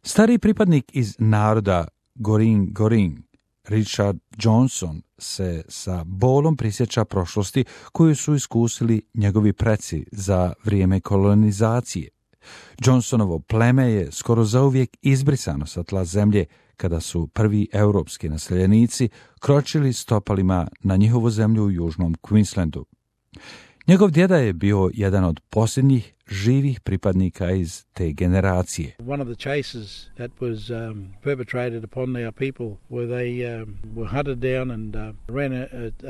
Stari pripadnik iz naroda Goring, Richard Johnson, se sa bolom prisjeća prošlosti koju su iskusili njegovi preci za vrijeme kolonizacije. Johnsonovo pleme je skoro zauvijek izbrisano sa tla zemlje kada su prvi europski naseljenici kročili stopalima na njihovu zemlju u južnom Queenslandu. Njegov djeda je bio jedan od posljednjih živih pripadnika iz te generacije. One of the chases that was perpetrated upon our people where they were hunted down and ran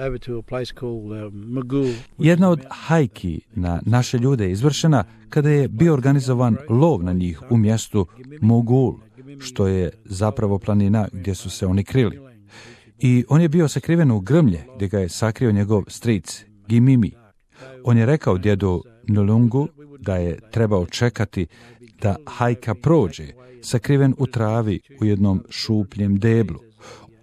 over to a place called Magul. Jedna od hajki na naše ljude je izvršena kada je bio organizovan lov na njih u mjestu Mogul, što je zapravo planina gdje su se oni krili. I on je bio sakriven u grmlje gdje ga je sakrio njegov stric Gimimi. On je rekao djedu Nulungu da je trebao čekati da hajka prođe, sakriven u travi u jednom šupljem deblu.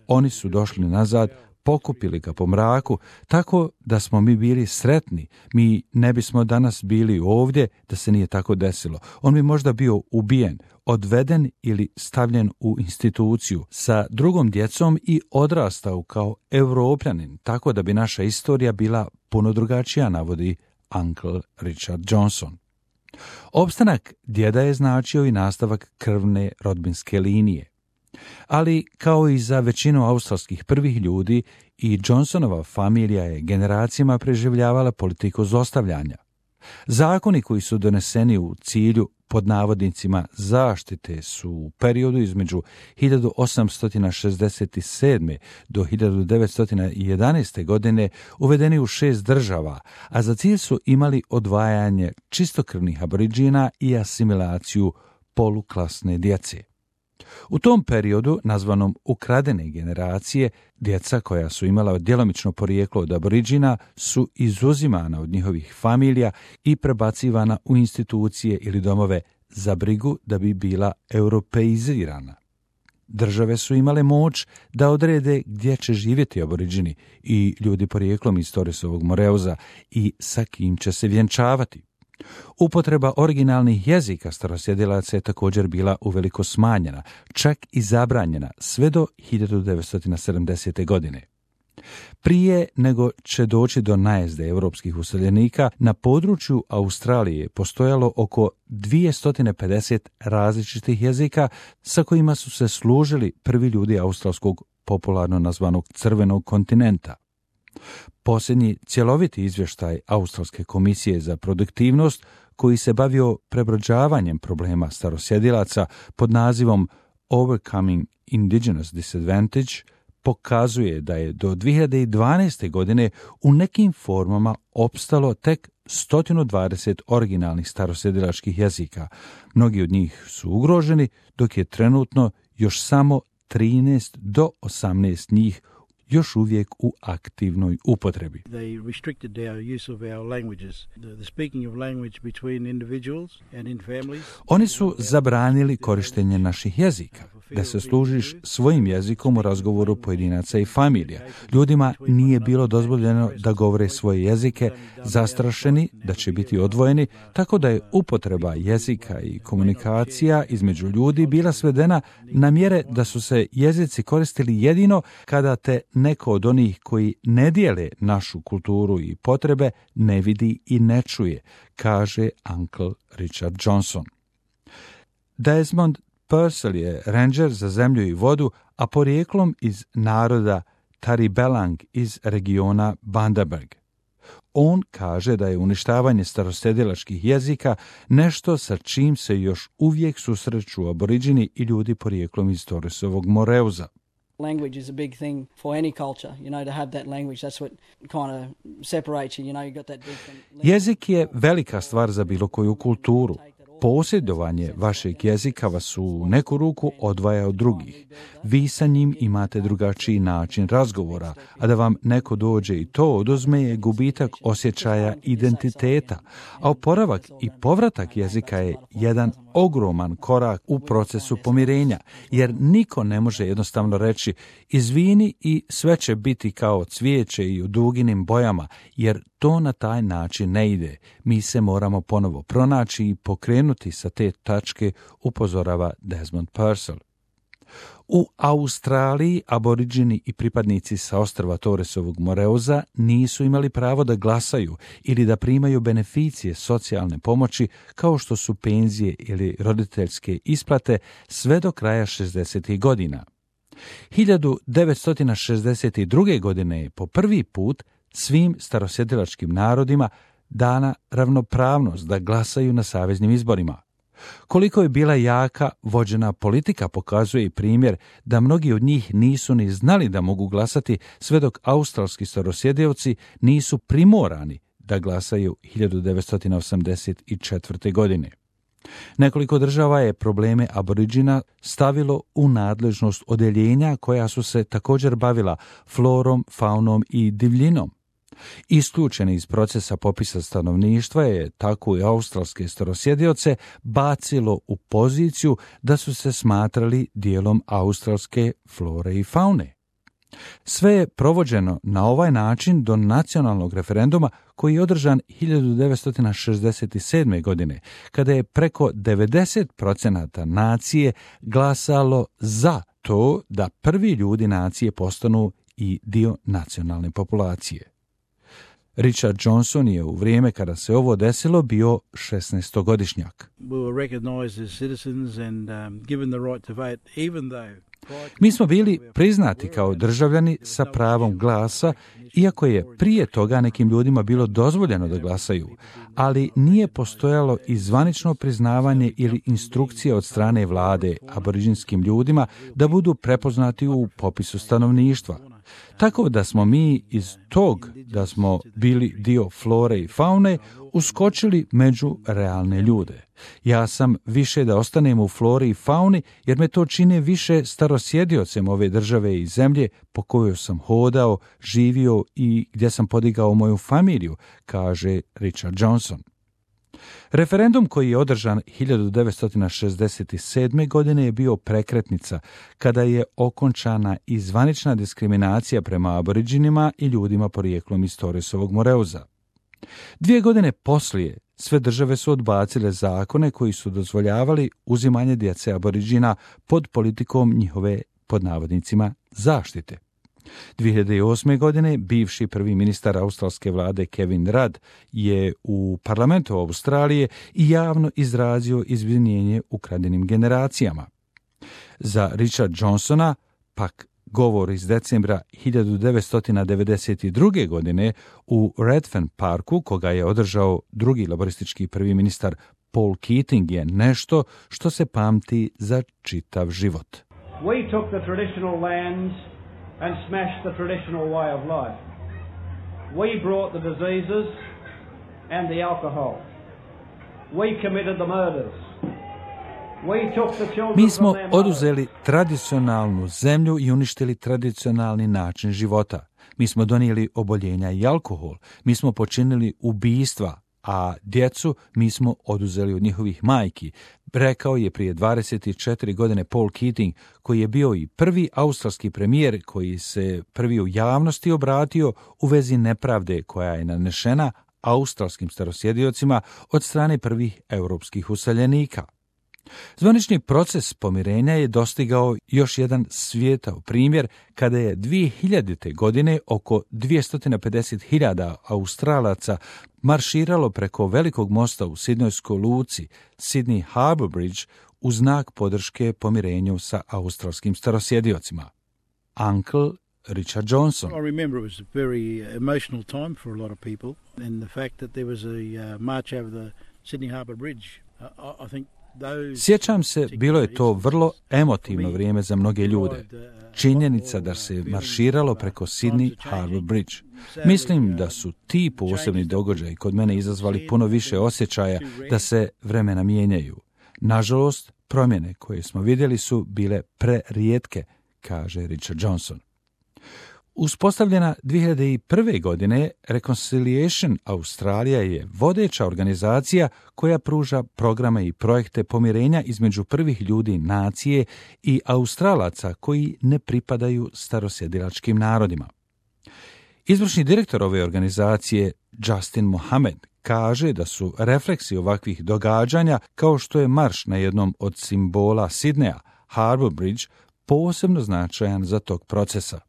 Oni su došli nazad, pokupili ga po mraku, tako da smo mi bili sretni. Mi ne bismo danas bili ovdje da se nije tako desilo. On bi možda bio ubijen, odveden ili stavljen u instituciju sa drugom djecom i odrastao kao Evropljanin, tako da bi naša istorija bila puno drugačija, navodi Uncle Richard Johnson. Opstanak djeda je značio i nastavak krvne rodbinske linije. Ali, kao i za većinu australskih prvih ljudi, i Johnsonova familija je generacijama preživljavala politiku zlostavljanja. Zakoni koji su doneseni u cilju pod navodnicima zaštite su u periodu između 1867. do 1911. godine uvedeni u 6 država, a za cilj su imali odvajanje čistokrvnih aboriđina i asimilaciju poluklasne djece. U tom periodu, nazvanom ukradene generacije, djeca koja su imala djelomično porijeklo od aboriđina su izuzimana od njihovih familija i prebacivana u institucije ili domove za brigu da bi bila europeizirana. Države su imale moć da odrede gdje će živjeti aboriđini i ljudi porijeklom iz Torresovog Moreuza i sa kim će se vjenčavati. Upotreba originalnih jezika starosjedilaca je također bila uveliko smanjena, čak i zabranjena sve do 1970. godine. Prije nego će doći do najezde europskih useljenika, na području Australije postojalo oko 250 različitih jezika sa kojima su se služili prvi ljudi australskog popularno nazvanog crvenog kontinenta. Posljednji cjeloviti izvještaj Australske komisije za produktivnost, koji se bavio prebrođavanjem problema starosjedilaca pod nazivom Overcoming Indigenous Disadvantage, pokazuje da je do 2012. godine u nekim formama opstalo tek 120 originalnih starosjedilačkih jezika. Mnogi od njih su ugroženi, dok je trenutno još samo 13 do 18 njih još uvijek u aktivnoj upotrebi. Oni su zabranili korištenje naših jezika, da se služiš svojim jezikom u razgovoru pojedinaca i familija. Ljudima nije bilo dozvoljeno da govore svoje jezike, zastrašeni da će biti odvojeni, tako da je upotreba jezika i komunikacija između ljudi bila svedena na mjere da su se jezici koristili jedino kada te neko od onih koji ne dijele našu kulturu i potrebe ne vidi i ne čuje, kaže Uncle Richard Johnson. Desmond Purcell je ranger za zemlju i vodu, a porijeklom iz naroda Taribelang iz regiona Bundaberg. On kaže da je uništavanje starosjedilačkih jezika nešto sa čim se još uvijek susreću aboriđini i ljudi porijeklom iz Torresovog Moreuza. Language is a big thing for any culture, to have that language, that's what kind of separates you, you got that big thing. Jezik je velika stvar za bilo koju kulturu. Posjedovanje vašeg jezika vas u neku ruku odvaja od drugih. Vi sa njim imate drugačiji način razgovora, a da vam neko dođe i to oduzme je gubitak osjećaja identiteta, a oporavak i povratak jezika je jedan ogroman korak u procesu pomirenja, jer niko ne može jednostavno reći izvini i sve će biti kao cvijeće i u duginim bojama, jer to na taj način ne ide. Mi se moramo ponovo pronaći i pokrenuti sa te tačke, upozorava Desmond Purcell. U Australiji aboriđini i pripadnici sa ostrva Torresovog Moreuza nisu imali pravo da glasaju ili da primaju beneficije socijalne pomoći kao što su penzije ili roditeljske isplate sve do kraja 60. godina. 1962. godine je po prvi put svim starosjedilačkim narodima dana ravnopravnost da glasaju na saveznim izborima. Koliko je bila jaka vođena politika pokazuje i primjer da mnogi od njih nisu ni znali da mogu glasati sve dok australski starosjedioci nisu primorani da glasaju 1984. godine. Nekoliko država je probleme aboriđina stavilo u nadležnost odeljenja koja su se također bavila florom, faunom i divljinom. Isključeni iz procesa popisa stanovništva je tako i australske starosjedioce bacilo u poziciju da su se smatrali dijelom australske flore i faune. Sve je provođeno na ovaj način do nacionalnog referenduma koji je održan 1967. godine, kada je preko 90% nacije glasalo za to da prvi ljudi nacije postanu i dio nacionalne populacije. Richard Johnson je u vrijeme kada se ovo desilo bio 16-godišnjak. Mi smo bili priznati kao državljani sa pravom glasa, iako je prije toga nekim ljudima bilo dozvoljeno da glasaju, ali nije postojalo i zvanično priznavanje ili instrukcije od strane vlade aboriđinskim ljudima da budu prepoznati u popisu stanovništva. Tako da smo mi iz tog da smo bili dio flore i faune uskočili među realne ljude. Ja sam više da ostanem u flori i fauni jer me to čine više starosjediocem ove države i zemlje po kojoj sam hodao, živio i gdje sam podigao moju familiju, kaže Richard Johnson. Referendum koji je održan 1967. godine je bio prekretnica kada je okončana i zvanična diskriminacija prema aboriđinima i ljudima porijeklom iz Torresovog Moreuza. 2 godine poslije sve države su odbacile zakone koji su dozvoljavali uzimanje djece aboriđina pod politikom njihove, pod navodnicima, zaštite. 2008. godine bivši prvi ministar australske vlade Kevin Rudd je u parlamentu Australije i javno izrazio izvinjenje ukradenim generacijama. Za Richard Johnsona pak govor iz decembra 1992. godine u Redfern Parku, koga je održao drugi laboristički prvi ministar Paul Keating, je nešto što se pamti za čitav život. We took the traditional lands and smashed the traditional way of life. We brought the diseases and the alcohol. We committed the murders. Mi smo oduzeli tradicionalnu zemlju i uništili tradicionalni način života. Mi smo donijeli oboljenja i alkohol. Mi smo počinili ubijstva, a djecu mi smo oduzeli od njihovih majki, rekao je prije 24 godine Paul Keating, koji je bio i prvi australski premijer koji se prvi u javnosti obratio u vezi nepravde koja je nanešena australskim starosjediocima od strane prvih europskih useljenika. Zvanični proces pomirenja je dostigao još jedan svijetao primjer kada je 2000. godine oko 250.000 Australaca marširalo preko velikog mosta u Sidnojskoj luci, Sydney Harbour Bridge, u znak podrške pomirenju sa australskim starosjediocima. Uncle Richard Johnson. I remember it was a very emotional time for a lot of people, and the fact that there was a march over the Sydney Harbour Bridge. I think Sjećam se, bilo je to vrlo emotivno vrijeme za mnoge ljude. Činjenica da se marširalo preko Sydney Harbour Bridge. Mislim da su ti posebni događaji kod mene izazvali puno više osjećaja da se vremena mijenjaju. Nažalost, promjene koje smo vidjeli su bile prerijetke, kaže Richard Johnson. Uspostavljena 2001. godine, Reconciliation Australia je vodeća organizacija koja pruža programe i projekte pomirenja između prvih ljudi nacije i Australaca koji ne pripadaju starosjedilačkim narodima. Izvršni direktor ove organizacije, Justin Mohamed, kaže da su refleksi ovakvih događanja, kao što je marš na jednom od simbola Sidneja, Harbour Bridge, posebno značajan za tog procesa.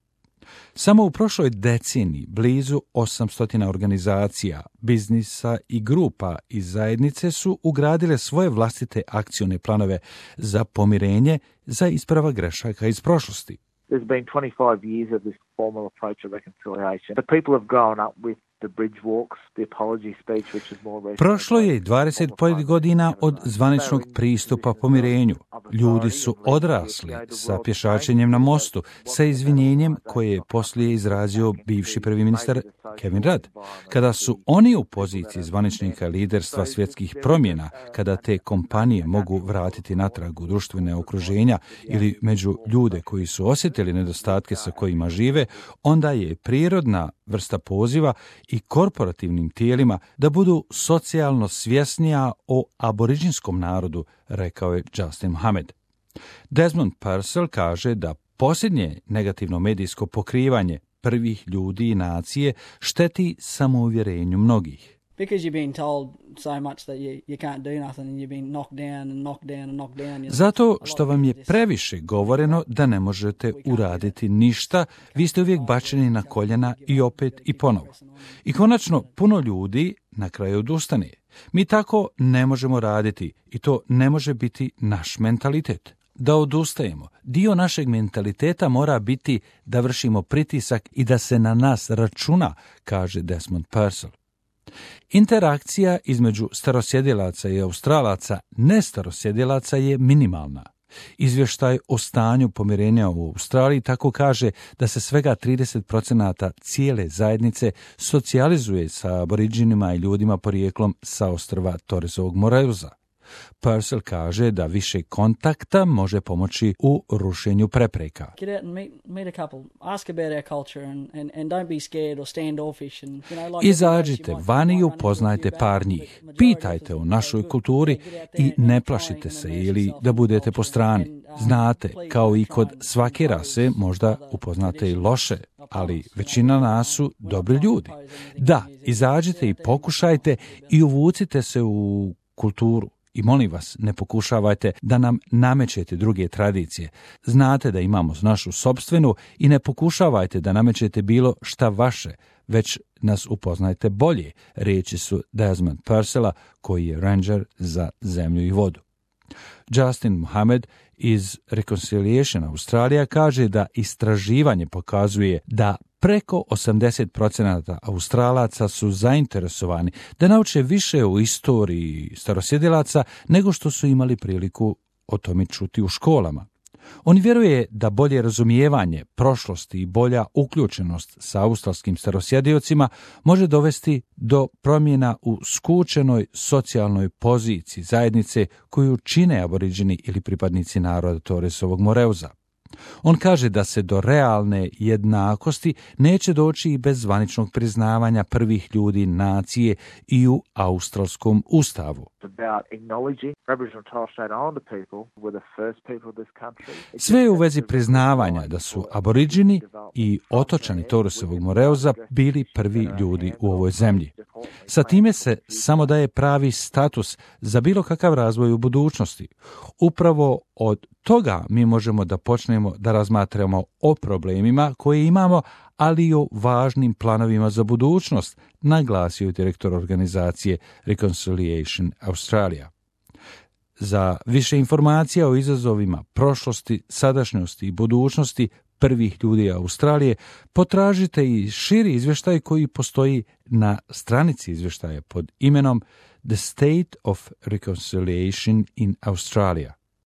Samo u prošloj deceniji blizu 800 organizacija, biznisa i grupa iz zajednice su ugradile svoje vlastite akcione planove za pomirenje, za ispravak grešaka iz prošlosti. There's been 25 years of this formal approach of reconciliation. The people have grown up with the bridge walks, the apology speech, which is more recent. Prošlo je 25 godina od zvaničnog pristupa pomirenju. Ljudi su odrasli sa pješačenjem na mostu, sa izvinjenjem koje je poslije izrazio bivši prvi ministar Kevin Rudd. Kada su oni u poziciji zvaničnika liderstva svjetskih promjena, kada te kompanije mogu vratiti natrag u društvene okruženja ili među ljude koji su osjetili nedostatke sa kojima žive, onda je prirodna vrsta poziva i korporativnim tijelima da budu socijalno svjesnija o aboriđinskom narodu, rekao je Justin Mohamed. Desmond Purcell kaže da posljednje negativno medijsko pokrivanje prvih ljudi i nacije šteti samouvjerenju mnogih. Because you've been told so much that you can't do nothing and you've been knocked down and knocked down and knocked down. Zato što vam je previše govoreno da ne možete uraditi ništa, vi ste uvijek bačeni na koljena i opet i ponovo. I konačno, puno ljudi na kraju odustane. Mi tako ne možemo raditi i to ne može biti naš mentalitet. Da odustajemo. Dio našeg mentaliteta mora biti da vršimo pritisak i da se na nas računa, kaže Desmond Purcell. Interakcija između starosjedilaca i Australaca nestarosjedilaca je minimalna. Izvještaj o stanju pomirenja u Australiji tako kaže da se svega 30% cijele zajednice socijalizuje sa aboriđinima i ljudima porijeklom sa ostrva Torresovog Moreuza. Purcell kaže da više kontakta može pomoći u rušenju prepreka. Izađite vani i upoznajte par njih. Pitajte o našoj kulturi i ne plašite se ili da budete po strani. Znate, kao i kod svake rase, možda upoznate i loše, ali većina nas su dobri ljudi. Da, izađite i pokušajte i uvucite se u kulturu. I molim vas, ne pokušavajte da nam namećete druge tradicije. Znate da imamo našu sopstvenu i ne pokušavajte da namećete bilo šta vaše, već nas upoznajte bolje, riječi su Desmond Purcella, koji je ranger za zemlju i vodu. Justin Mohamed iz Reconciliation Australia kaže da istraživanje pokazuje da preko 80% Australaca su zainteresovani da nauče više o istoriji starosjedilaca nego što su imali priliku o tome čuti u školama. On vjeruje da bolje razumijevanje prošlosti i bolja uključenost sa australskim starosjediocima može dovesti do promjena u skučenoj socijalnoj poziciji zajednice koju čine aboriđini ili pripadnici naroda Torresovog Moreuza. On kaže da se do realne jednakosti neće doći i bez zvaničnog priznavanja prvih ljudi nacije i u australskom ustavu. Sve je u vezi priznavanja da su aboriđini i otočani Torresovog Moreuza bili prvi ljudi u ovoj zemlji. Sa time se samo daje pravi status za bilo kakav razvoj u budućnosti. Upravo od toga mi možemo da počnemo da razmatramo o problemima koje imamo, ali i o važnim planovima za budućnost, naglasio direktor organizacije Reconciliation Australia. Za više informacija o izazovima prošlosti, sadašnjosti i budućnosti prvih ljudi Australije, potražite i širi izvještaj koji postoji na stranici izvještaja pod imenom The State of Reconciliation in Australia.